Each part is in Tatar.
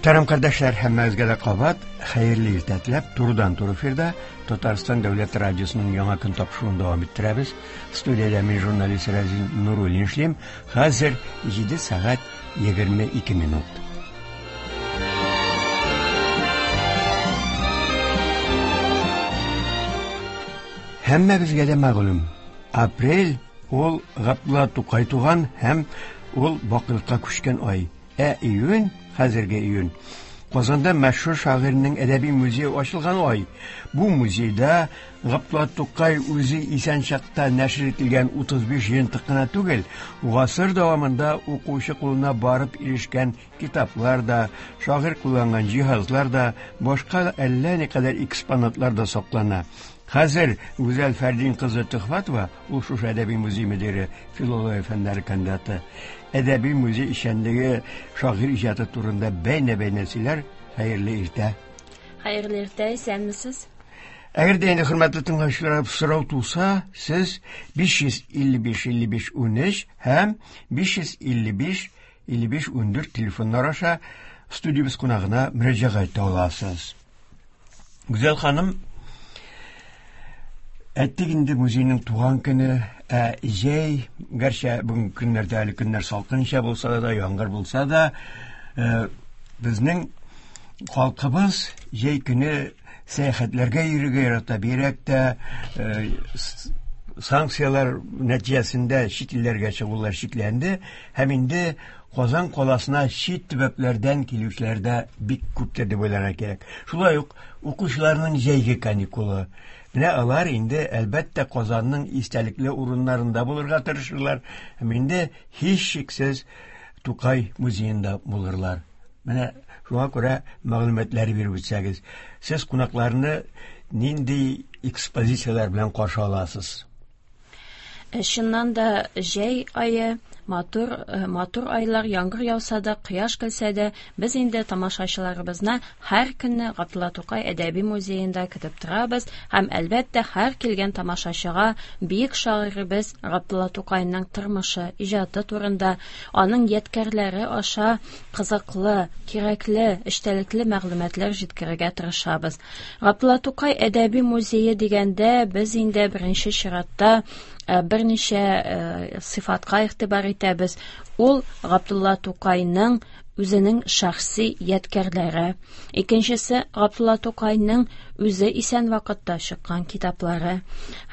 Мөхтәрәм кардәшләр, һәммәгезгә дә кабат хәерле иртә теләп, турыдан-туры эфирда Татарстан дәүләт радиосының Яңа көн тапшыруын дәвам иттерәбез. Студиядә мин журналист Разин Нуруллин эшлим. Хәзер 7 сәгать 22 минут. Һәммәбезгә дә мәгълүм, апрель ул Габдулла Тукай туган һәм ул бакыйлыкка күчкән ай. Ә июнь, хәзерге июнь, Казанда мәшһүр шагыйрьнең әдәби музее ачылган ай. Бу музейда Габдулла Тукай үзе исән чакта нәшер ителгән 35 җыентык кына түгел, гасыр дәвамында укучы кулына барып ирешкән китаплар да, шагыйрь кулланган җиһазлар да, башка әллә никадәр экспонатлар да саклана. Хәзер Гүзәл Фәрдин кызы Төхвәтова, ул шушы әдәби музей мөдире, филология фәннәре кандидаты, әдәби музей эшчәнлеге, шагыйрь иҗаты турында бәйнә-бәйнә сөйләр. Хәерле иртә. Хәерле иртә, исәнмесез. Әгәр дә инде хөрмәтле тыңлаучылар сорау туса, сез 555 55 13 һәм 555 55 14 телефоннар аша студиябез кунагына мөрәҗәгать итә аласыз. Гүзәл ханым, әйттек инде музейның туган көне, ә җәй, гәрчә бүгенге көннәрдә әле көннәр салкынча булса да, яңгыр булса да, э, безнең халкыбыз җәй көне сәяхәтләргә йөрергә ярата, бигрәк тә э, санкцияләр нәтиҗәсендә чит илләргә чыгулар чикләнде һәм инде Казан каласына чит төбәкләрдән килүчеләр дә бик күптер дип уйларга кирәк. Шулай ук укучыларның җәйге каникулы. Менә алар инде, әлбәттә, Казанның истәлекле урыннарында булырга тырышырлар һәм инде һичшиксез Тукай музеенда булырлар. Менә шуңа күрә мәгълүматлар биреп үтсәгез, сез кунакларны нинди экспозицияләр белән каршы аласыз? Чыннан да җәй ае матур, матур айлар, яңгыр яуса да, кояш көлсә дә, без инде тамашачыларыбызны һәр көнне Габдулла Тукай әдәби музеенда көтеп торабыз һәм, әлбәттә, һәр килгән тамашачыга бөек шагыйребез Габдулла Тукайның тормышы, иҗаты турында, аның ядкәрләре аша кызыклы, кирәкле, эчтәлекле мәгълүматлар җиткерергә тырышабыз. Габдулла Тукай әдәби музее дигәндә без инде беренче чиратта берничә сыйфатка игътибар итәбез. Ул Габдулла Тукайның үзенең шәхси ядкәрләре. Икенчесе Габдулла Тукайның үзе исән вакытта чыккан китаплары.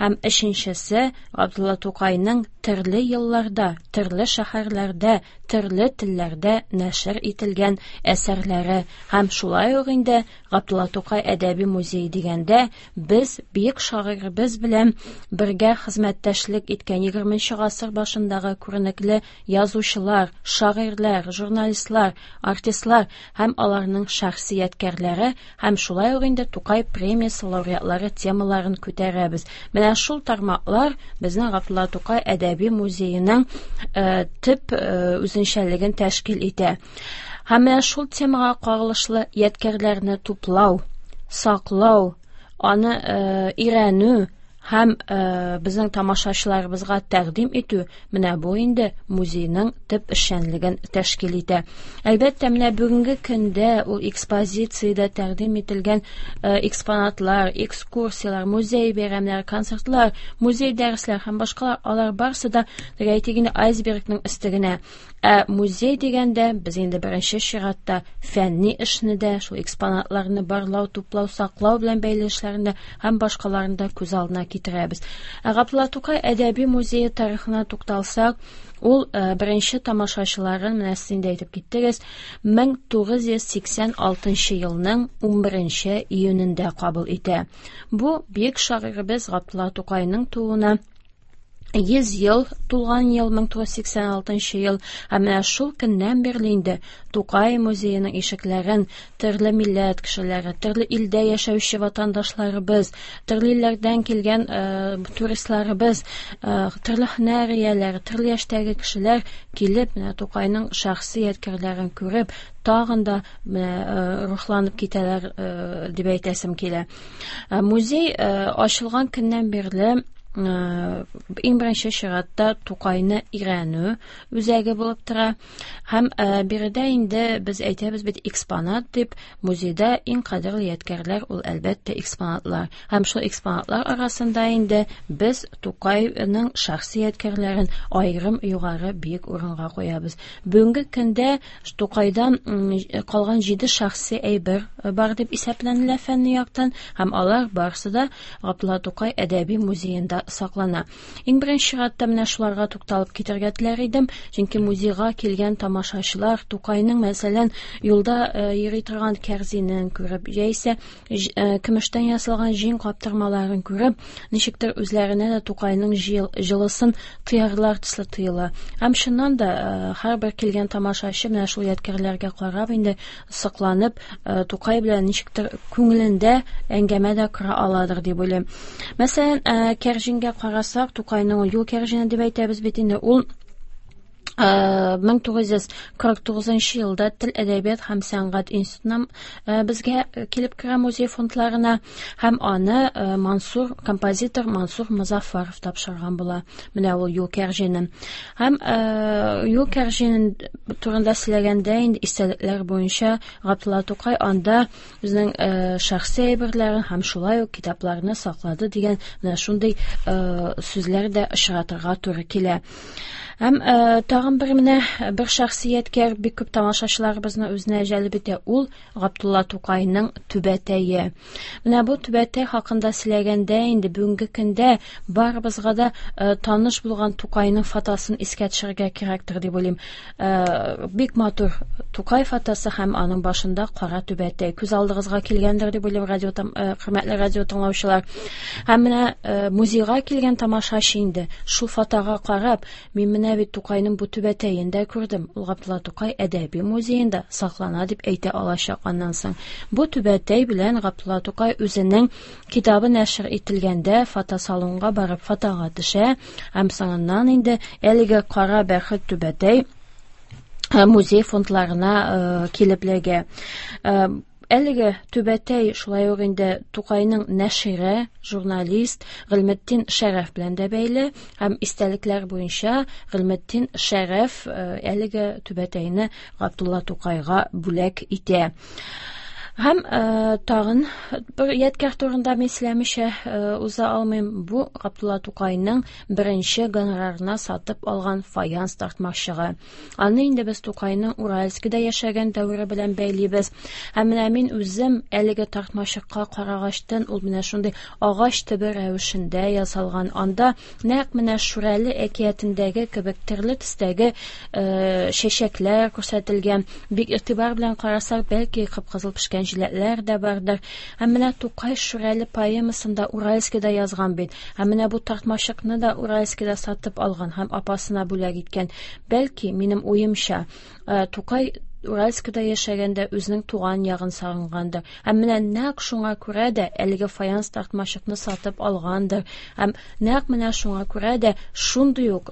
Һәм өченчесе Габдулла Тукайның төрле елларда, төрле шәһәрләрдә, төрле телләрдә нәшер ителгән әсәрләре һәм шулай ук инде Габдулла Тукай әдәби музее дигәндә, без бөек шагыйребез белән бергә хезмәттәшлек иткән 20 гасыр башындагы күренекле язучылар, шагыйрьләр, журналистлар, артистлар һәм аларның шәхси ядкәрләре һәм шулай ук инде Тукай премиясе лауреатлары темаларын күтәрәбез. Менә шул тармаклар безнең Габдулла Тукай әдәби музееның төп үзенчәлеген тәшкил итә. Һәм менә шул темага кагылышлы ядкәрләрне туплау, саклау, аны өйрәнү һәм безнең тамашачыларыбызга тәкъдим итү менә бу инде музейның төп эшчәнлеген тәшкил итә. Әлбәттә, менә бүгенге көндә ул экспозициядә тәкъдим ителгән экспонатлар, экскурсияләр, музей бәйрәмнәре, концертлар, музей дәресләр һәм башкалар, алар барысы да, теге әйтик инде, айсбергның өсте генә. Ә музей дигәндә, без инде беренче чиратта фәнни эшне дә, шул экспонатларны барлау, туплау, саклау белән бәйле эшләрне дә һәм башкаларны да күз алдына китерәбез. Ә Габдулла Тукай әдәби музее тарихына тукталсак, ул беренче тамашачыларын, менә сез инде әйтеп киттегез, 1986 елның 11 июнендә кабул итә. Бу бөек шагыйребез Габдулла Тукайның тууына 100 ел тулган ел, 1986 ел, һәм менә шул көннән бирле инде Тукай музееның ишекләрен төрле милләт кешеләре, төрле илдә яшәүче ватандашларыбыз, төрле илләрдән килгән туристларыбыз, төрле һөнәр ияләре, төрле яшьтәге кешеләр килеп, менә Тукайның шәхси ядкәрләрен күреп, тагын да менә рухланып китәләр дип әйтәсем килә. Музей ачылган көннән бирле иң беренче чиратта Тукайны өйрәнү үзәге булып тора. Һәм биредә инде без әйтәбез бит экспонат дип, музейда иң кадерле ядкәрләр ул әлбәттә экспонатлар. Һәм шул экспонатлар арасында инде без Тукайның шәхси ядкәрләрен аерым югары биек урынга куябыз. Бүгенге көндә Тукайдан калган 7 шәхси әйбер бар дип исәпләнелә фәнни яктан, һәм алар барысы да Габдулла Тукай әдәби музеенда саклана. Иң беренче чиратта менә шуларга тукталып китәргә теләр идем, чөнки музейга килгән тамашачылар Тукайның, мәсәлән, юлда йөри торган кәрзинен күреп, яисә көмештән ясалган җиң каптырмаларын күреп, ничектер үзләренә дә Тукайның җылысын тоярлар төсле тоела. Һәм чыннан да һәрбер килгән тамашачы менә шул ядкәрләргә карап инде сокланып, Тукай белән ничектер күңелендә әңгәмә дә кора аладыр дип уйлыйм. Мәсәлән, кәрҗингә карасак, Тукайның юл кәрҗине дип әйтәбез бит инде, ул 1949 елда Тел, әдәбият һәм сәнгать институтына безгә килеп керә музей фондларына, һәм аны Мансур, композитор Мансур Мозаффаров тапшырган була. Менә ул юл кәрҗине. Һәм юл кәрҗине турында сөйләгәндә инде истәлекләр буенча Габдулла Тукай анда үзенең шәхси әйберләрен һәм шулай ук китапларны саклады дигән менә шундый сүзләр дә очратырга туры килә. Һәм тагын бер менә бер шәхсияткә бик күп тамашачыларыбызны үзенә җәлеп итә, ул Габдулла Тукайның түбәтәе. Менә бу түбәтәй хакында сөйләгәндә инде бүгенге көндә барыбызга да таныш булган Тукайның фотосын искә төшерергә кирәктер дип уйлыйм. Бик матур Тукай фотосы һәм аның башында кара түбәтәй. Күз алдыгызга килгәндер дип уйлыйм, хөрмәтле радио тыңлаучылар. Һәм менә музейга килгән тамашачы инде шул фотога карап, мин менә бит Тукайның бу түбәтәен дә күрдем. Ул Габдулла Тукай әдәби музеенда саклана дип әйтә алачак аннан соң. Бу түбәтәй белән Габдулла Тукай үзенең китабы нәшер ителгәндә фотосалонга барып фотога төшә, һәм соңыннан инде әлеге кара бәрхет түбәтәй музей фондларына килеп эләгә. Әлеге түбәтәй шулай ук инде Тукайның нәшире, журналист Гыйльметдин Шәрәф белән дә бәйле, һәм истәлекләр буенча Гыйльметдин Шәрәф әлеге түбәтәйне Габдулла Тукайга бүләк итә. Һәм тагын бер ядкәр турында мин сөйләмичә уза алмыйм. Бу Габдулла Тукайның беренче гонорарына сатып алган фаянс тартмачыгы. Аны инде без Тукайның Уральскида яшәгән дәвере белән бәйлибез. Һәм менә мин үзем әлеге тартмачыкка карагачтан, ул менә шундый агач төбе рәвешендә ясалган. Анда нәкъ менә Шүрәле әкиятендәге кебек төрле төстәге чәчәкләр күрсәтелгән. Бик игътибар белән карасак, бәлки кып-кызыл пешкән җиләкләр дә бардыр. Һәм менә Тукай Шүрәле поэмасында Уральскида язган бит. Һәм менә бу тартмачыкны да Уральскида сатып алган һәм апасына бүләк иткән. Бәлки, минем уемча, Тукай Уральскида яшәгәндә үзенең туган ягын сагынгандыр. Һәм менә нәкъ шуңа күрә дә әлеге фаянс тартмачыкны сатып алгандыр. Һәм нәкъ менә шуңа күрә дә шундый ук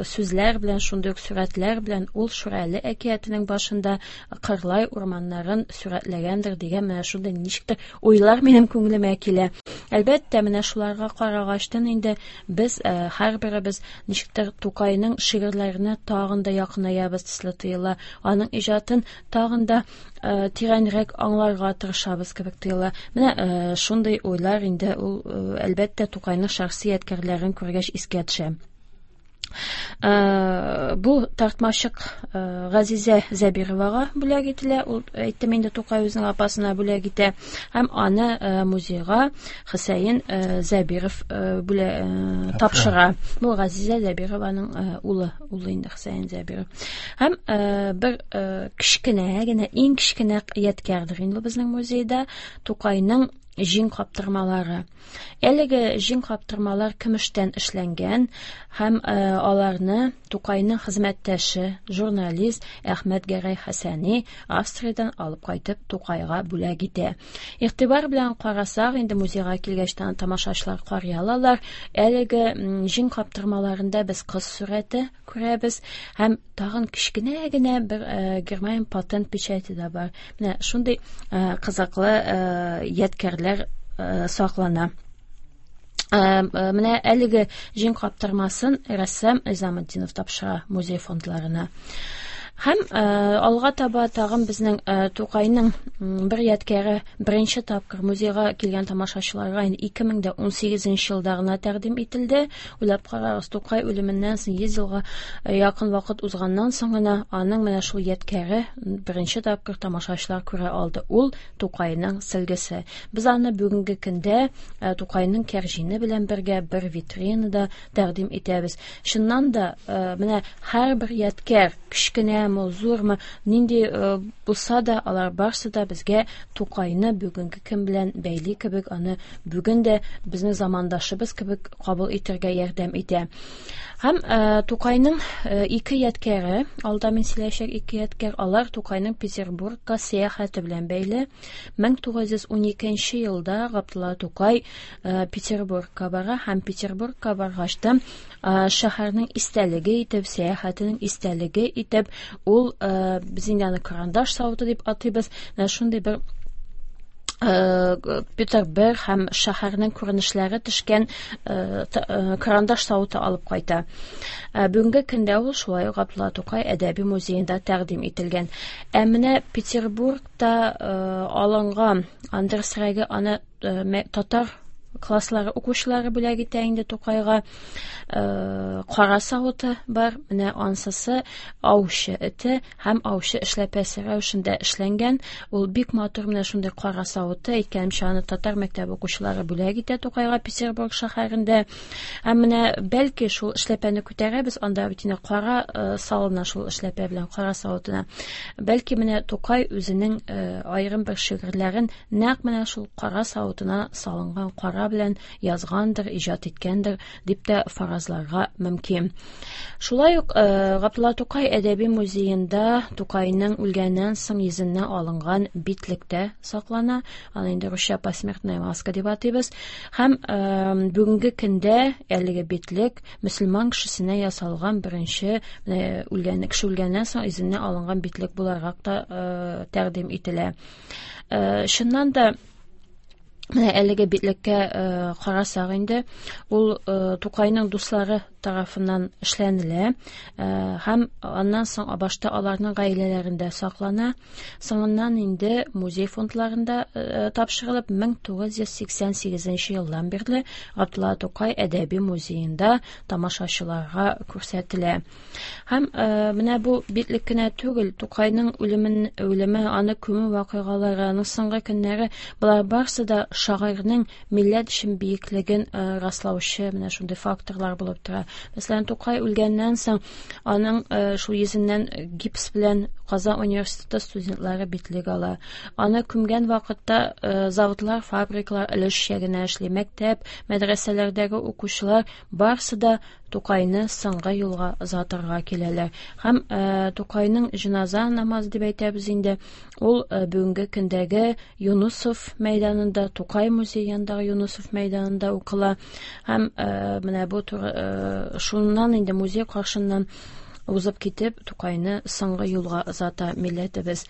сүзләр белән, шундый ук сурәтләр белән ул Шүрәле әкиятенең башында Кырлай урманнарын сурәтләгәндер дигән менә шундый ничектер уйлар минем күңелемә килә. Әлбәттә, менә шуларга карагачтан инде без һәрберебез ничектер Тукайның шигырьләренә тагын да якынаябыз төсле тоела. Аның иҗатын тагын да тирәнрәк аңларга тырышабыз кебек тоела. Менә шундый уйлар инде ул, әлбәттә, Тукайның шәхси ядкәрләрен күргәч искә төшә. Бу тартмачык Газизә Зәбировага бүләк ителә. Ул, әйттем инде, Тукай үзенең апасына бүләк итә. Һәм аны музейга Хөсәен Зәбиров тапшыра. Бу Газизә Зәбированың улы, улы инде Хөсәен Зәбиров. Һәм бер кечкенә генә, иң кечкенә ядкәрдер инде безнең музейда Тукайның җиң каптырмалары. Әлеге җиң каптырмалар көмештән эшләнгән һәм аларны Тукайның хезмәттәше, журналист Әхмәт Гәрәй Хәсәни Австриядән алып кайтып Тукайга бүләк итә. Игътибар белән карасак, инде музейга килгәч тамашачылар карый алалар. Әлеге җиң каптырмаларында без кыз сурәте күрәбез һәм тагын кечкенә генә бер Германия патент печати да бар. Менә шундый кызыклы ядкәрләр саклана. Менә әлеге җиң каптырмасын рәссам Низаметдинов тапшыра музей фондларына. Һәм алга таба тагын безнең Тукайның бер ядкәре беренче тапкыр музейга килгән тамашачыларга инде 2018 елда гына тәкъдим ителде. Уйлап карагыз, Тукай үлеменнән соң 100 елга якын вакыт узганнан соң гына аның менә шул ядкәре беренче тапкыр тамашачылар күрә алды. Ул Тукайның сөлгесе. Без аны бүгенге көндә Тукайның кәрҗине белән бергә бер витринада тәкъдим итәбез. Чыннан да, менә һәрбер ядкәр, кечкенәме, зурмы, нинди булса да, алар барсы да безгә Тукайны бүгенге көн белән бәйли кебек, аны бүген дә безнең замандашыбыз кебек кабул итәргә ярдәм итә. Һәм Тукайның ике ядкәре, алда мин сөйләячәк ике ядкәр, алар Тукайның Петербургка сәяхәте белән бәйле. 1912 елда Габдулла Тукай Петербургка бара һәм Петербургка баргач та шәһәрнең истәлеге итеп, сәяхәтенең истәлеге итеп, ул без инде аны карандаш савыты дип атыйбыз, менә шундый бер Петр I һәм шәһәрнең күренешләре төшкән карандаш савыты алып кайта. Бүгенге көндә ул шулай ук Габдулла Тукай әдәби музеенда тәкъдим ителгән. Ә менә Петербургта алынган Андерсрәге аны татар класслары укучылары бүләк итә инде Тукайга. Кара савыты бар, менә ансысы аучы эте һәм аучы эшләпәсе рәвешендә эшләнгән. Ул бик матур менә шундый кара савыты, әйткәнемчә, аны татар мәктәбе укучылары бүләк итә Тукайга Петербург шәһәрендә. Һәм менә бәлки шул эшләпәне күтәрәбез, анда бит инде кара салына шул эшләпә белән кара савытына. Бәлки менә Тукай үзенең аерым бер шигырьләрен нәкъ менә шул кара савытына салынган кара белән язгандыр, иҗат иткәндер дип тә фаразларга мөмкин. Шулай ук Габдулла Тукай әдәби музеенда Тукайның үлгәннән соң йөзеннән алынган битлек тә саклана. Аны инде русча посмертная маска дип атыйбыз. Һәм бүгенге көндә әлеге битлек мөселман кешесенә ясалган беренче үлгән кеше үлгәннән соң йөзеннән алынган битлек буларак та тәкъдим ителә. Чыннан да менә әлеге битлеккә карасак инде, ул Тукайның дуслары тарафыннан эшләнелә һәм аннан соң башта аларның гаиләләрендә саклана, соңыннан инде музей фондларында тапшырылып, 1988 елдан бирле Габдулла Тукай әдәби музеенда тамашачыларга күрсәтелә. Һәм менә бу битлек кенә түгел, Тукайның үлеме, аны күмү вакыйгалары, аның соңгы көннәре, болар барысы да шагыйрьнең милләт өчен биеклеген раслаучы менә шундый факторлар булып тора. Мәсәлән, Тукай үлгәннән соң аның шул йөзеннән гипс белән Казан университеты студентлары битлек ала. Аны күмгән вакытта заводлар, фабрикалар өлешчә генә эшли, мәктәп, мәдрәсәләрдәге укучылар барысы да Тукайны соңгы юлга озатырга киләләр. Һәм Тукайның җеназа намазы дип әйтәбез инде, ул бүгенге көндәге Юнусов мәйданында, Тукай музее янындагы Юнусов мәйданында укыла. Һәм менә бу шуннан инде музей каршыннан узып китеп, Тукайны соңгы юлга озата милләтебез.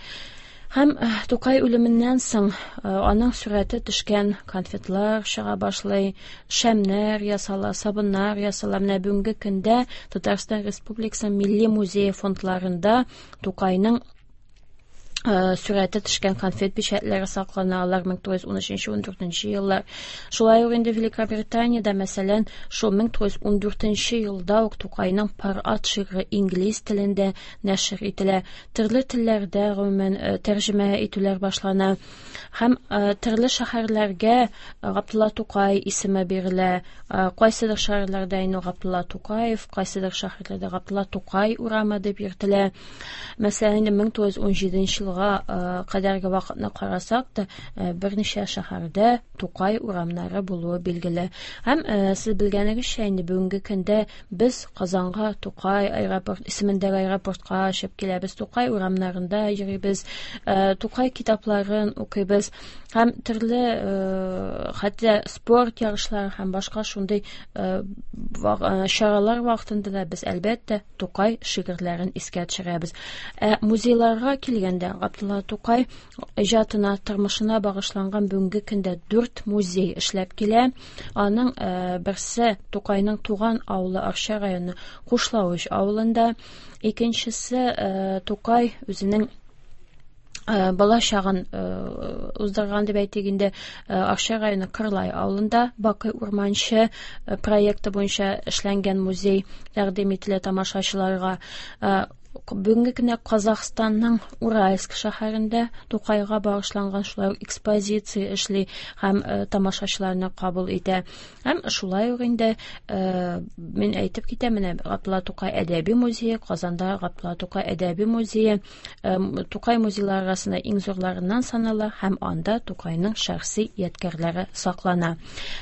Һәм Тукай үлеменнән соң аның сурәте төшкән конфетлар чыга башлый, шәмнәр ясала, сабыннар ясала. Менә бүгенге көндә Татарстан Республикасы Милли музее фондларында Тукайның сурәте төшкән конфет печатьләре саклана, алар 1913-14 еллар. Шулай ук инде Великобританиядә, мәсәлән, шул 1914 елда ук Тукайның Пар ат шигыре инглиз телендә нәшер ителә. Төрле телләрдә гомумән тәрҗемә итүләр башлана. Һәм төрле шәһәрләргә Габдулла Тукай исеме бирелә. Кайсыдыр шәһәрләрдә инде Габдулла Тукаев, кайсыдыр шәһәрләрдә Габдулла Тукай урамы дип йөртелә. Мәсәлән, инде 1917 елга кадәрге вакытны карасак та, берничә шәһәрдә Тукай урамнары булуы билгеле. Һәм сез белгәнегезчә, инде бүгенге көндә без Казанга Тукай аэропорт исемендәге аэропортка очып киләбез, Тукай урамнарында йөрибез, Тукай китапларын укыйбыз һәм төрле хәтта спорт ярышлары һәм башка шундый чаралар вакытында да без әлбәттә Тукай шигырьләрен искә төшерәбез. Ә музейларга килгәндә, Габдулла Тукай иҗатына, тормышына багышланган бүгенге көндә 4 музей эшләп килә. Аның берсе Тукайның туган авылы Арча районы Кушлавыч авылында, икенчесе Тукай үзенең бала чагын уздырган дип әйтик инде, Арча районы Кырлай авылында Бакый Урманчы проекты буенча эшләнгән музей тәкъдим ителә тамашачыларга. Бүгенге көндә Казахстанның Уральск шәһәрендә Тукайга багышланган шулай ук экспозиция эшли һәм тамашачыларны кабул итә. Һәм шулай ук инде мин әйтеп китәм, менә Габдулла Тукай әдәби музее, Казанда Габдулла Тукай әдәби музее, Тукай музейлары арасында иң зурларыннан санала һәм анда Тукайның шәхси ядкәрләре саклана.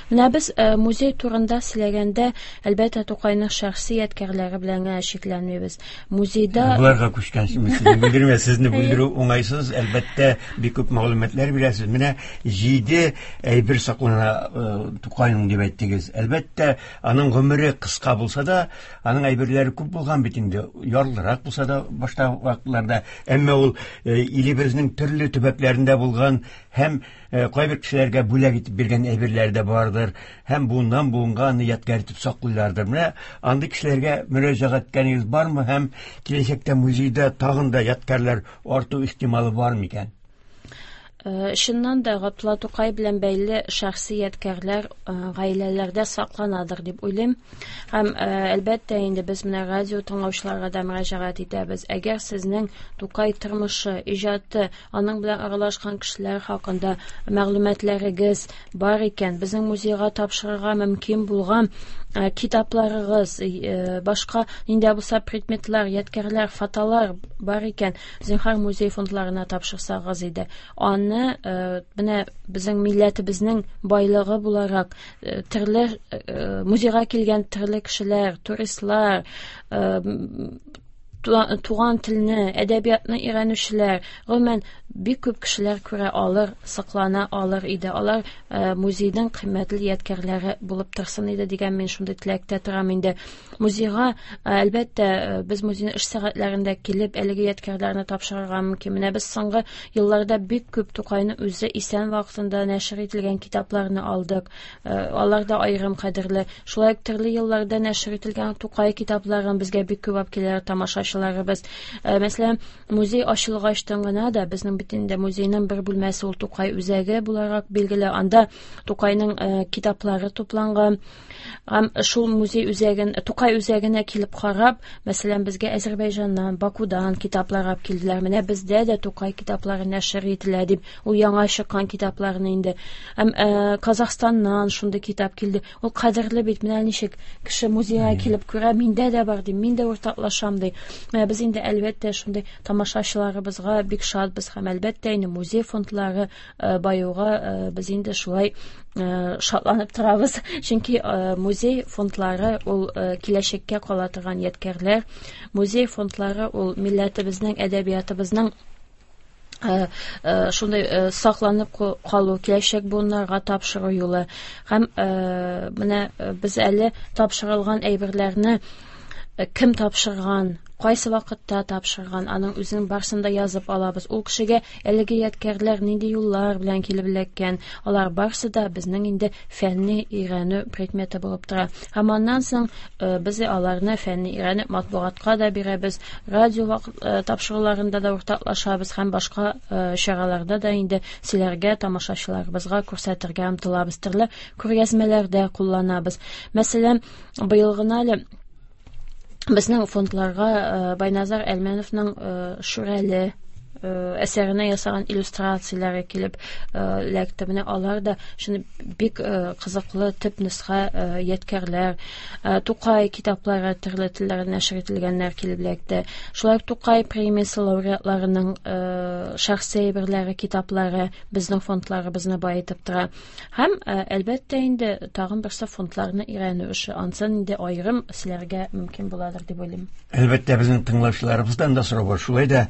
Менә без музей турында сөйләгәндә, әлбәттә, Тукайның шәхси ядкәрләре белән генә чикләнмибез. Музейда Боларга күчкән сезне бүлдермә, сезне бүлдерү уңайсыз, әлбәттә, бик күп мәгълүматлар бирәсез. Менә 7 әйбер саклана Тукайның дип әйттегез. Әлбәттә, аның гомере кыска булса да, аның әйберләре күп булган бит инде, ярлырак булса да башта вакытларда, әмма ул илебезнең төрле төбәкләрендә булган һәм кайбер кешеләргә бүләк итеп биргән әйберләре дә бардыр, һәм буыннан буынга аны ядкәр итеп саклыйлардыр. Менә андый кешеләргә мөрәҗәгать иткәнегез бармы һәм киләчәктә музейда тагын да ядкәрләр арту ихтималы бар микән? Чыннан да Габдулла Тукай белән бәйле шәхси ядкәрләр гаиләләрдә сакланадыр дип уйлыйм. Һәм әлбәттә инде без менә радио тыңлаучыларга да мөрәҗәгать итәбез. Әгәр сезнең Тукай тормышы, иҗаты, аның белән аралашкан кешеләр хакында мәгълүматларыгыз бар икән, безнең музейга тапшырырга мөмкин булган китапларыгыз, башка нинди булса предметлар, ядкәрләр, фотолар бар икән, зинһар музей фондларына тапшырсагыз иде. Аны менә безнең милләтебезнең байлыгы буларак төрле музейга килгән төрле кешеләр, туристлар, туган телне, әдәбиятны өйрәнүчеләр, гомумән бик күп кешеләр күрә алыр, саклана алыр иде. Алар музейның кыйммәтле ядкәрләре булып торсын иде дигән мин шундый теләктә торам инде. Музейга, әлбәттә, без музейның эш сәгатьләрендә килеп әлеге ядкәрләрне тапшырырга мөмкин. Менә без соңгы елларда бик күп Тукайның үзе исән вакытында нәшер ителгән китапларны алдык. Алар да аерым кадерле. Шулай ук төрле елларда нәшер ителгән Тукай китапларын безгә бик күп алып киләләр тамашачыларыбыз. Мәсәлән, музей ачылгачтан гына да безнең бит инде музейның бер бүлмәсе ул Тукай үзәге буларак билгеле. Анда Тукайның китаплары тупланган. Һәм шул музей үзәген, Тукай үзәгенә килеп карап, мәсәлән, безгә Әзербайҗаннан, Бакудан китаплар алып килделәр. Менә бездә дә Тукай китаплары нәшер ителә дип, ул яңа чыккан китапларны инде. Һәм Казахстаннан шундый китап килде. Ул кадерле бит, менә ничек кеше музейга килеп күрә, миндә дә бар ди, мин дә уртаклашам ди. Менә без инде әлбәттә шундый тамашачыларыбызга бик шатбыз һәм әлбәттә инде музей фондлары баюга без инде шулай шатланып торабыз. Чөнки музей фондлары ул киләчәккә кала торган ядкәрләр. Музей фондлары ул милләтебезнең, әдәбиятыбызның шундай сакланып калу, киләчәк буыннарга тапшыру юлы. Һәм менә без әле тапшырылган әйберләрне кем тапшырган, кайсы вакытта тапшырган, аның үзенең барысын да язып алабыз. Ул кешегә әлеге ядкәрләр нинди юллар белән килеп эләккән, алар барысы да безнең инде фәнни өйрәнү предметы булып тора. Һәм аннан соң без аларны фәнни өйрәнеп матбугатка да бирәбез, радио тапшыруларында да уртаклашабыз һәм башка чараларда да инде сөйләргә, тамашачыларыбызга күрсәтергә омтылабыз, төрле күргәзмәләрдә кулланабыз. Мәсәлән, быел гына әле безнең фондларга Байназар Әлмәновның Шүрәле әсәренә ясаган иллюстрацияләре килеп эләкте. Менә алар да шуны бик кызыклы төп нөсхә ядкәрләр, Тукай китаплары төрле телләрдә нәшер ителгәннәр килеп эләкте. Шулай ук Тукай премиясе лауреатларының шәхси әйберләре, китаплары безнең фондларыбызны баетып тора. Һәм әлбәттә инде тагын берсе фондларны өйрәнү эше. Ансын инде аерым сөйләргә мөмкин буладыр дип уйлыйм. Әлбәттә, безнең тыңлаучыларыбыздан да сорау бар. Шулай да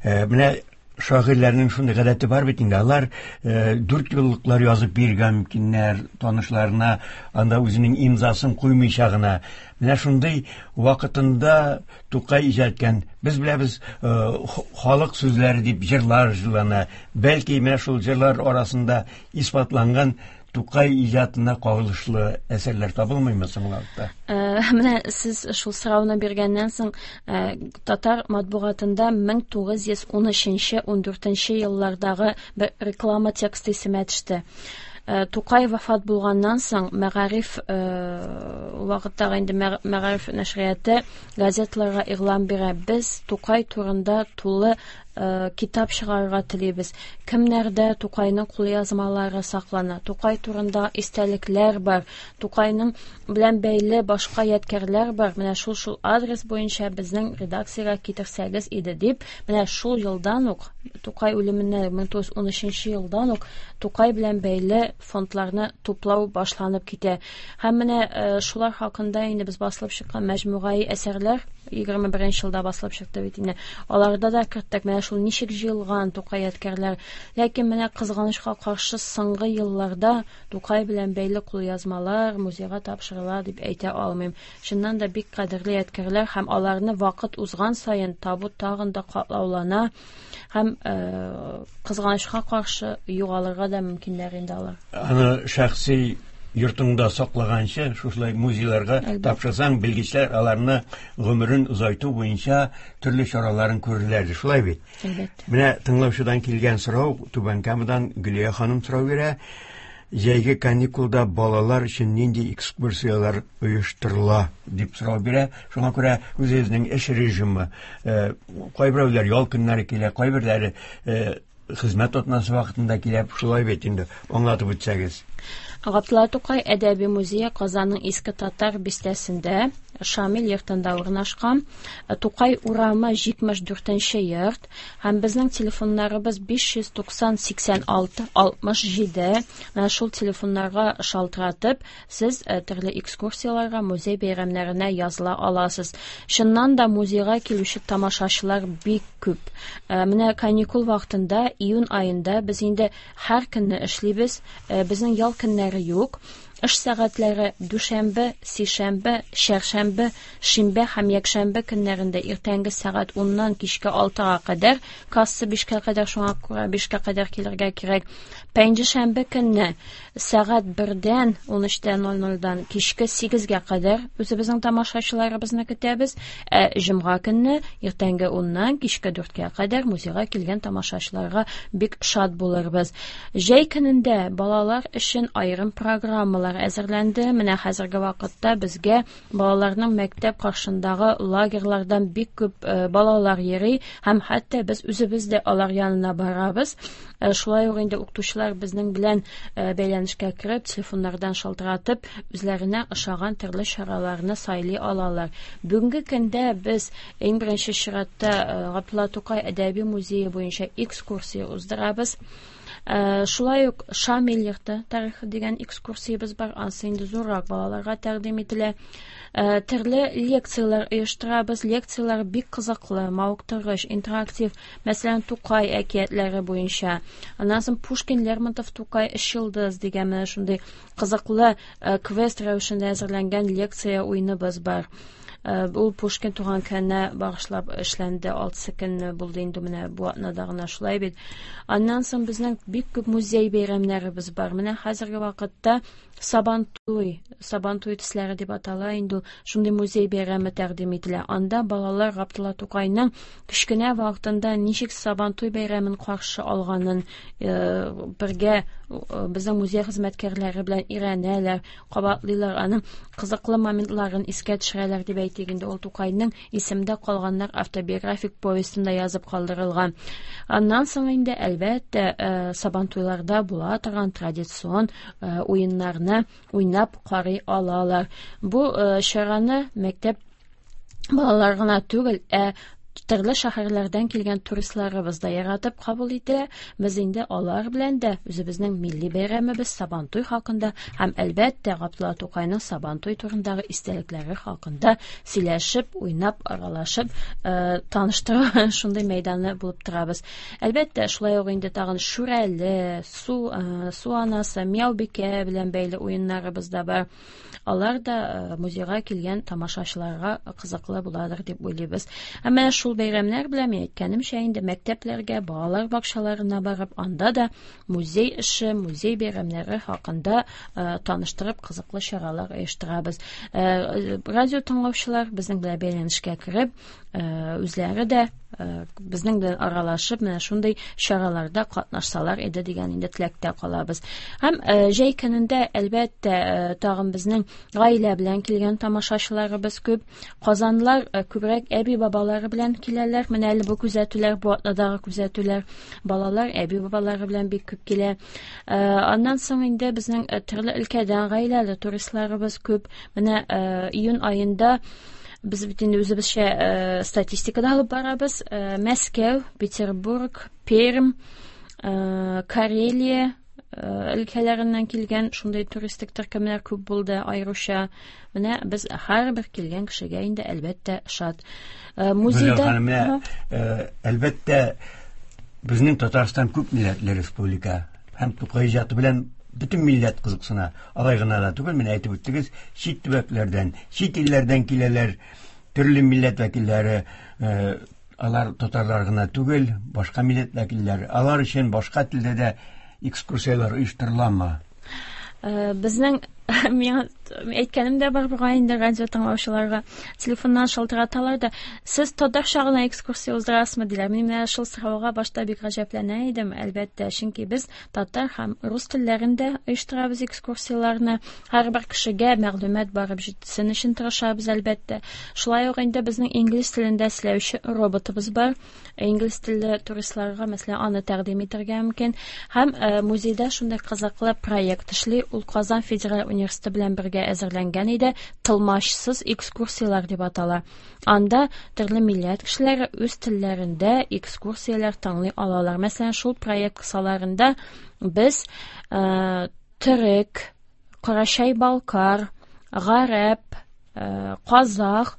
менә Шагыйрьләрнең шундый гадәте бар бит инде, алар 4 юллыклар язып бирергә мөмкиннәр танышларына, анда үзенең имзасын куймыйча гына. Менә шундый вакытында Тукай иҗат иткән, без беләбез, халык сүзләре дип җырлар җырлана. Бәлки менә шул җырлар арасында исбатланган Тукай иҗатына кагылышлы әсәрләр табылмыймы соң вакытта? Менә сез шул сорауны биргәннән соң, татар матбугатында 1913-14 еллардагы бер реклама тексты исемә төште. Тукай вафат булганнан соң мәгариф вакыттагы инде мәгариф нәшрияты газеталарга игълан бирә. Без Тукай турында тулы китап чыгарырга телибез. Кемнәрдә Тукайның кулъязмалары саклана, Тукай турында истәлекләр бар, Тукайның белән бәйле башка ядкәрләр бар. Менә шул адрес буенча безнең редакциягә китерсәгез иде дип, менә шул елдан ук, Тукай үлеменнән 1913 елдан ук Тукай белән бәйле фондларны туплау башланып китә. Һәм менә шулар хакында инде без басылып чыккан мәҗмугаи әсәрләр 21 елда басылып чыкты бит инде. Аларда да керттек менә шул ничек җыелган Тукай ядкәрләр. Ләкин менә кызганычка каршы соңгы елларда Тукай белән бәйле кулъязмалар музейга тапшырыла дип әйтә алмыйм. Чыннан да бик кадерле ядкәрләр һәм аларны вакыт узган саен табу тагын да катлаулана һәм кызганычка каршы югалырга да мөмкиннәр инде алар. Аны шәхси йортыңда саклаганчы, шушылай музейларга тапшырсаң, белгечләр аларны гомерен озайту буенча төрле чараларын күрерләр, шулай бит? Әлбәттә. Менә тыңлаучыдан килгән сорау, Түбән Камадан Гөлия ханым сорау бирә. Җәйге каникулда балалар өчен нинди экскурсияләр оештырыла дип сорау бирә. Шуңа күрә үзегезнең эш режимы, кайберәүләр ял көннәре килә, кайберләре хезмәт атнасы вакытында килә, шулай бит инде, аңлатып үтсәгез. Габдулла Тукай әдәби музее Казанның Иске Татар бистәсендә, Шамил йортында урнашкан. Тукай урамы 74 йорт. Һәм безнең телефоннарыбыз 590 86 67. Менә шул телефоннарга шалтыратып, сез төрле экскурсияләргә, музей бәйрәмнәренә языла аласыз. Чыннан да музейга килүче тамашачылар бик күп. Менә каникул вакытында, июнь аенда без инде һәр көнне эшлибез. Безнең ял көннәре юк. Эш сәгатьләре дүшәмбе, сишәмбе, чәршәмбе, шимбә һәм якшәмбе көннәрендә иртәнге сәгать уннан кичке алтыга кадәр, касса бишкә кадәр, шуңа күрә бишкә кадәр килергә кирәк. Пәнҗешәмбе көнне сәгать бердән, ун өчтә ноль нольдан кичке сигезгә кадәр үзебезнең тамашачыларыбызны көтәбез. Ә җомга көнне иртәнге уннан кичке дүрткә кадәр музейга килгән тамашачыларга бик шат булырбыз. Җәй көнендә балалар өчен аерым программалар әзерләнде. Менә хәзерге вакытта безгә балаларның мәктәп каршындагы лагерьлардан бик күп балалар йөри һәм хәтта без үзебез дә алар янына барабыз. Шулай ук инде укытучылар безнең белән бәйләнешкә кереп, телефоннардан шалтыратып, үзләренә ошаган төрле чараларны сайлый алалар. Бүгенге көндә без иң беренче чиратта Габдулла Тукай әдәби музее буенча экскурсия уздырабыз. Шулай ук Шамил йорты тарихы дигән экскурсиябез бар, ансы инде зуррак балаларга тәкъдим ителә. Төрле лекцияләр оештырабыз. Лекцияләр бик кызыклы, мавыктыргыч, интерактив. Мәсәлән, Тукай әкиятләре буенча. Аннан соң Пушкин, Лермонтов, Тукай, Өч йолдыз дигән менә шундый кызыклы квест рәвешендә әзерләнгән лекция уеныбыз бар. Ул Пушкин туган көненә багышлап эшләнде, алтысы көнне булды инде менә бу атнада гына, шулай бит. Аннан соң безнең бик күп музей бәйрәмнәребез бар. Менә хәзерге вакытта Сабантуй, Сабантуй төсләре дип атала инде ул, шундый музей бәйрәме тәкъдим ителә. Анда балалар Габдулла Тукайның кечкенә вакытында ничек Сабантуй бәйрәмен каршы алганын бергә безнең музей хезмәткәрләре белән өйрәнәләр, кабатлыйлар, аның кызыклы моментларын искә төшерәләр дип әйтик инде. Ул Тукайның Исемдә калганнар автобиографик повестында язып калдырылган. Аннан соң инде әлбәттә Сабантуйларда була торган традицион уеннарны уйнап карый алалар. Бу чараны мәктәп балалар гына түгел, ә Төрле шәһәрләрдән килгән туристларыбыз да яратып кабул итә. Без инде алар белән дә үзебезнең милли бәйрәмебез Сабантуй хакында һәм, әлбәттә, Габдулла Тукайның Сабантуй турындагы истәлекләре хакында сөйләшеп, уйнап, аралашып, э, таныштыру шундый мәйданы булып торабыз. Әлбәттә, шулай ук инде тагын Шүрәле, су, э, су анасы, Мияубикә белән бәйле уеннарыбыз да бар. Алар да э, музейга килгән тамашачыларга кызыклы буладыр дип уйлыйбыз. Һәм менә шул бәйрәмнәр белән мин әйткәнемчә инде мәктәпләргә, балалар бакчаларына барып, анда да музей эше, музей бәйрәмнәре хакында э, таныштырып кызыклы чаралар оештырабыз. Э, радио тыңлаучылар безнең белән бәйләнешкә кереп, үзләре дә безнең белән аралашып, менә шундый чараларда катнашсалар иде дигән инде теләктә калабыз. Һәм җәй көнендә, әлбәттә, тагын безнең гаилә белән килгән тамашачыларыбыз күп. Казанлар күбрәк әби-бабалары белән киләләр. Менә әле бу күзәтүләр, бу атнадагы күзәтүләр. Балалар әби-бабалары белән бик күп килә. Аннан соң инде безнең төрле өлкәдән гаиләле туристларыбыз күп. Менә июнь аенда без бит инде үзебезчә э, статистикада алып барабыз. Э, Мәскәү, Петербург, Пермь, э, Карелия өлкәләреннән килгән шундый туристик төркемнәр күп булды аеруча. Менә без һәрбер килгән кешегә инде әлбәттә шат. Музейда менә әлбәттә безнең Татарстан күп милләтле республика һәм Тукай иҗаты белән бөтен милләт кызыксына. Алай гына да түгел, менә әйтеп үттегез, чит төбәкләрдән, чит илләрдән киләләр, төрле милләт вәкилләре, э, алар татарлар гына түгел, башка милләт вәкилләре. Алар өчен башка телдә дә экскурсияләр оештырыламы? Э, безнең миңа әйткәнем дә бар бугай инде радио тыңлаучыларга телефоннан шалтыраталар да сез татарча гына экскурсия уздырасызмы диләр мин менә шул сорауга башта бик гаҗәпләнә идем әлбәттә чөнки без Татар һәм рус телләрендә оештырабыз экскурсияләрне. Һәрбер кешегә мәгълүмат барып җитсен өчен тырышабыз, әлбәттә. Шулай ук инде безнең инглиз телендә эшләүче роботыбыз бар. Инглиз телле туристларга, мәсәлән, аны тәкъдим итәргә мөмкин. Һәм э, музейда шундый кызыклы проект эшли. Ул Казан федераль университеты белән бергә әзерләнгән иде. Тылмачсыз экскурсияләр дип атала. Анда төрле милләт кешеләре үз телләрендә экскурсияләр тыңлый алалар. Мәсәлән, шул проект кысаларында без э, төрек, карачай-балкар, гарәп, э, казах,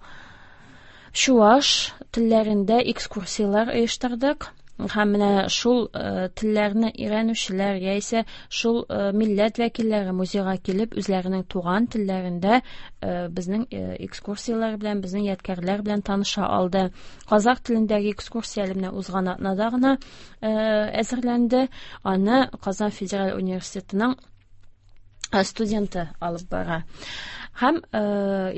чуаш телләрендә экскурсияләр оештырдык. Һәм менә шул э, телләрне өйрәнүчеләр яисә шул э, милләт вәкилләре музейга килеп үзләренең туган телләрендә э, безнең экскурсияләр белән, безнең ядкәрләр белән таныша алды. Казах телендәге экскурсия әле менә узган атнада гына әзерләнде. Аны Казан федераль университетының студенты алып бара. Һәм э,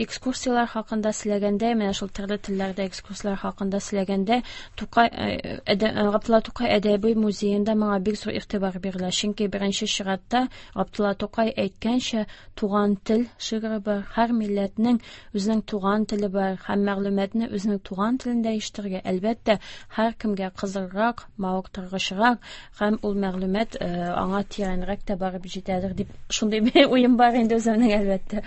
экскурсияләр хакында сөйләгәндә, менә шул төрле телләрдә экскурсияләр хакында сөйләгәндә, Тукай э, әдә, э, Габдулла Тукай әдәби музеенда моңа бик зур игътибар бирелә. Чөнки беренче чиратта Габдулла Тукай әйткәнчә, туган тел шигыре бар. Һәр милләтнең үзенең туган теле бар һәм мәгълүматны үзенең туган телендә ишетергә, әлбәттә, һәркемгә кызыграк, мавыктыргычрак Һәм ул мәгълүмат э, аңа тирәнрәк тә барып җитәдер дип шундый бер уем бар инде үземнең, әлбәттә.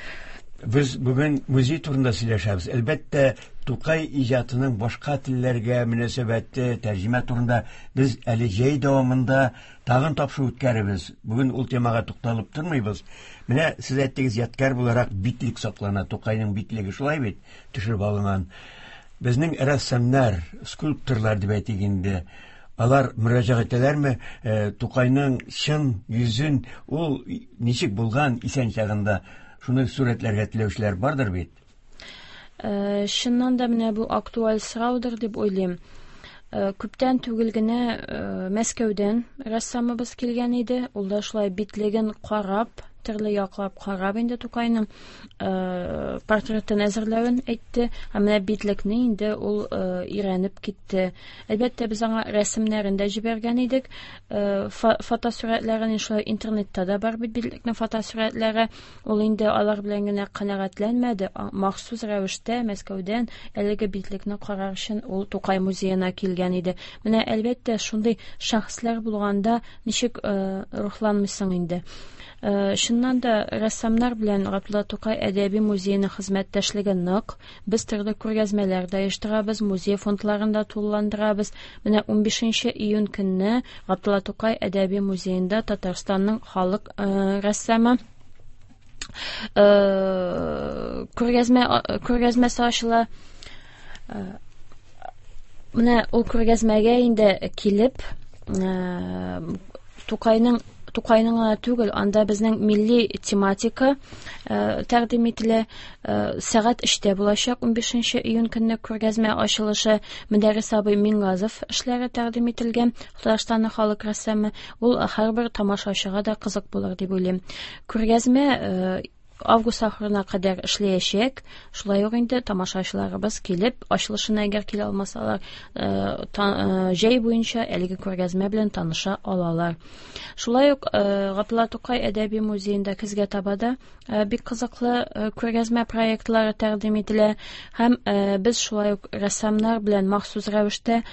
Без бүген музей турында сөйләшәбез. Әлбәттә, Тукай иҗатының башка телләргә мөнәсәбәте, тәрҗемә турында без әле җәй дәвамында тагын тапшыру үткәрербез. Бүген ул темага тукталып тормыйбыз. Менә сез әйттегез, ядкәр буларак битлек саклана, Тукайның битлеге шулай бит, төшереп алынган. Безнең рәссамнар, скульпторлар дип әйтик инде, Алар мөрәҗәгать итәләрме э, Тукайның чын йөзен, ул ничек булган исән чагында, шуны сурәтләргә теләүчеләр бардыр бит? Э, чыннан да менә бу актуаль сораудыр дип уйлыйм. Э, күптән түгел генә Мәскәүдән рәссамыбыз килгән иде. Ул да шулай битлеген карап, төрле яклап карап инде Тукайның э, портретын әзерләвен әйтте. Ә менә битлекне инде ул өйрәнеп китте. Әлбәттә, без аңа рәсемнәрен дә җибәргән идек. Э, фотосурәтләрен шулай интернетта да бар бит битлекнең фотосурәтләре. Ул инде алар белән генә канәгатьләнмәде. Махсус рәвештә Мәскәүдән әлеге битлекне карар өчен ул Тукай музеена килгән иде. Менә әлбәттә, шундый шәхесләр булганда ничек э, рухланмыйсың инде. Чыннан да, рәссамнар белән Габдулла Тукай әдәби музееның хезмәттәшлеге нык. Без төрле күргәзмәләр дә оештырабыз, музей фондларын да тулыландырабыз. Менә 15 июнь көнне Габдулла Тукай әдәби музеенда Татарстанның халык рәссамы күргәзмә күргәзмәсе ачыла. Менә ул күргәзмәгә инде килеп, Тукайның Тукайның гына түгел, анда безнең милли тематика тәкъдим ителә. Сәгать 3-тә булачак 15 июнь көнне күргәзмә ачылышы. Мөдәррис абый Мингазов эшләре тәкъдим ителгән, Татарстанның халык рәссамы. Ул һәрбер тамашачыга да кызык булыр дип уйлыйм. Күргәзмә август ахырына кадәр эшләячәк. Шулай ук инде тамашачыларыбыз килеп, ачылышына әгәр килә алмасалар, җәй буенча әлеге күргәзмә белән таныша алалар. Шулай ук Габдулла Тукай әдәби музеенда көзгә таба да бик кызыклы күргәзмә проектлары тәкъдим ителә һәм без шулай ук рәссамнар белән махсус рәвештә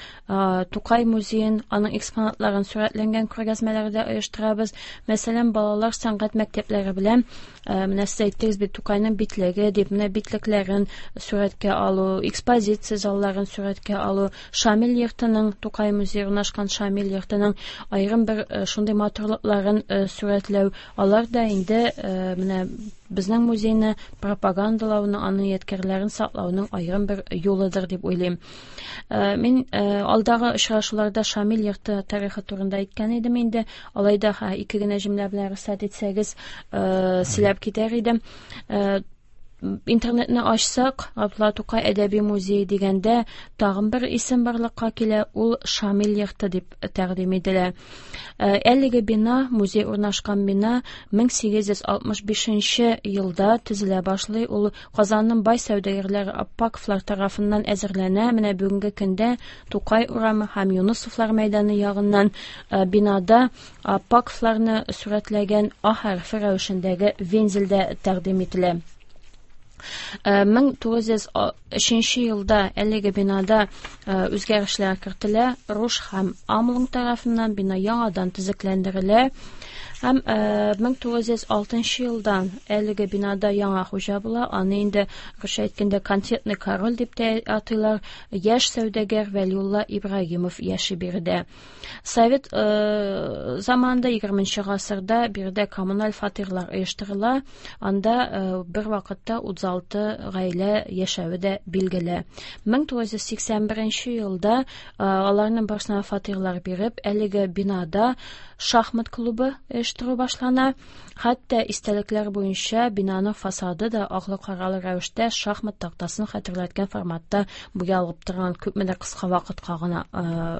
Тукай музеен, аның экспонатларын сурәтләнгән күргәзмәләр дә оештырабыз. Мәсәлән, балалар сәнгать мәктәпләре белән, менә сез әйттегез бит, Тукайның битлеге дип, менә битлекләрен сурәткә алу, экспозиция залларын сурәткә алу, Шамил йортының, Тукай музее урнашкан Шамил йортының аерым бер шундый матурлыкларын сурәтләү, алар да инде менә безнең музейны пропагандалауны, аның ядкәрләрен саклауның аерым бер юлыдыр дип уйлыйм. Мин алдагы очрашуларда Шамил йорты тарихы турында әйткән идем инде. Алай да ике генә җөмлә белән рөхсәт итсәгез, сөйләп китәр идем. Интернетны ачсак, Габдулла Тукай әдәби музее дигәндә тагын бер исем барлыкка килә, ул Шамил йорты дип тәкъдим ителә. Әлеге бина, музей урнашкан бина 1865 елда төзелә башлый. Ул Казанның бай сәүдәгәрләре Аппаковлар тарафыннан әзерләнә. Менә бүгенге көндә Тукай урамы һәм Юнысовлар мәйданы ягыннан бинада Аппаковларны сурәтләгән А хәрефе рәвешендәге вензель дә тәкъдим ителә. 1903 елда әлеге бинада үзгәрешләр кертелә. Руш һәм Амлунг тарафыннан бина яңадан төзекләндерелә. Һәм 1906 елдан әлеге бинада яңа хуҗа була. Аны инде русча әйткәндә конфетный король дип тә атыйлар. Яшь сәүдәгәр Вәлиулла Ибрагимов яши биредә. Совет заманында 20 гасырда биредә коммуналь фатирлар оештырыла. Анда бер вакытта 36 гаилә яшәве дә билгеле. 1981 елда аларның барысына фатирлар биреп, әлеге бинада шахмат клубы оештыру башлана. Хәтта истәлекләр буенча бинаның фасады да аклы-каралы рәвештә шахмат тактасын хәтерләткән форматта буялып торган, күпмедер кыска вакытка гына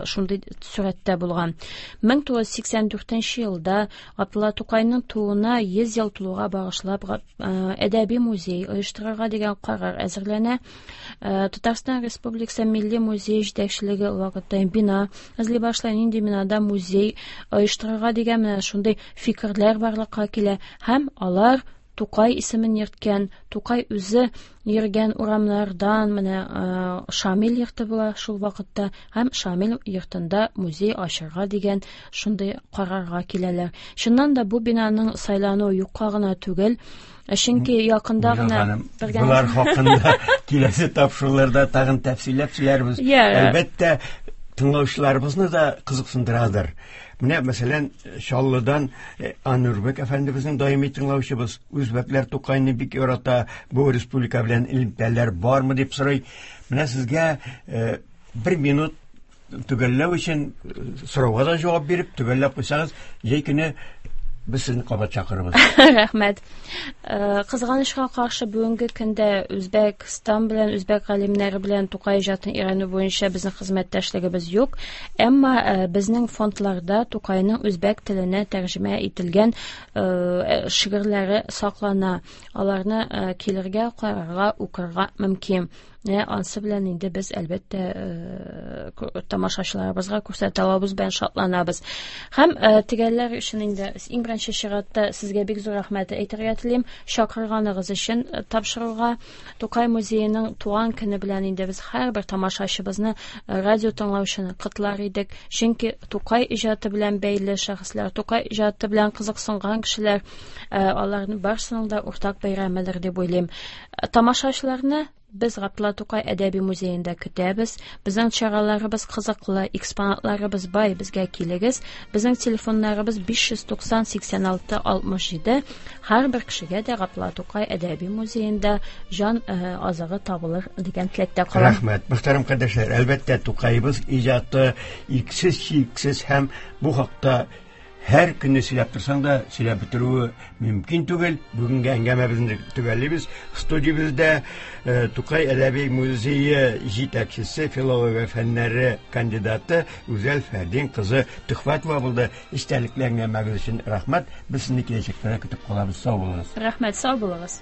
шундый сурәттә булган. 1984 елда Габдулла Тукайның тууына 100 ел тулуга багышлап әдәби музей оештырырга дигән карар әзерләнә. Татарстан Республикасы Милли музее җитәкчелеге ул вакытта бина эзли башлый, нинди бинада музей оештырырга дигән менә шундый фикерләр барлыкка килә һәм алар Тукай исемен йөрткән, Тукай үзе йөргән урамнардан менә Шамил йорты була шул вакытта һәм Шамил йортында музей ачырга дигән шундый карарга киләләр. Чыннан да бу бинаның сайлануы юкка гына түгел, чөнки якында гына Болар хакында киләсе тапшыруларда тагын тәфсилләп сөйләрбез. Әлбәттә, тыңлаучыларыбызны да кызыксындырадыр. Менә, мәсәлән, Чаллыдан Анурбек әфәндебезнең даими тыңлаучыбыз, үзбәкләр Тукайны бик ярата, бу республика белән элемтәләр бармы дип сорый. Менә сезгә бер минут төгәлләү өчен сорауга да җавап биреп, төгәлләп куйсагыз, җәй көне без сезне кабат чакырырбыз. Рәхмәт. Кызганычка каршы, бүгенге көндә Үзбәкстан белән, үзбәк галимнәре белән Тукай иҗатын өйрәнү буенча безнең хезмәттәшлегебез юк. Әмма безнең фондларда Тукайның үзбәк теленә тәрҗемә ителгән шигырьләре саклана. Аларны килергә, карарга, укырга мөмкин. Менә ансы белән инде без әлбәттә тамашачыларыбызга күрсәтә алабыз белән шатланабыз. Һәм тегәлләр өчен инде иң беренче чиратта сезгә бик зур рәхмәт әйтергә телим. Чакырганыгыз өчен тапшыруга Тукай музееның туган көне белән инде без һәрбер тамашачыбызны, радио тыңлаучыны котлар идек. Чөнки Тукай иҗаты белән бәйле шәхесләр, Тукай иҗаты белән кызыксынган кешеләр, аларның барысының да уртак бәйрәмедер дип уйлыйм. Тамашачыларны без Габдулла Тукай әдәби музеенда көтәбез. Безнең чараларыбыз кызыклы, экспонатларыбыз бай, безгә килегез. Безнең телефоннарыбыз 590 86 67. Һәрбер кешегә дә Габдулла Тукай әдәби музеенда җан азыгы табылыр дигән теләктә калам. Рәхмәт. Мөхтәрәм кардәшләр, әлбәттә, Тукаебыз иҗаты иксез-чиксез һәм бу хакта һәр көнне сөйләп торсаң да сөйләп бетерүе мөмкин түгел. Бүгенге әңгәмәбезне төгәллибез. Студиябездә Тукай әдәби музее җитәкчесе, филология фәннәре кандидаты Гүзәл Фәрдин кызы Төхвәтова булды. Эчтәлекле әңгәмәгез өчен рәхмәт. Без сезне киләчәктә дә көтеп калабыз. Сау булыгыз. Рәхмәт, сау булыгыз.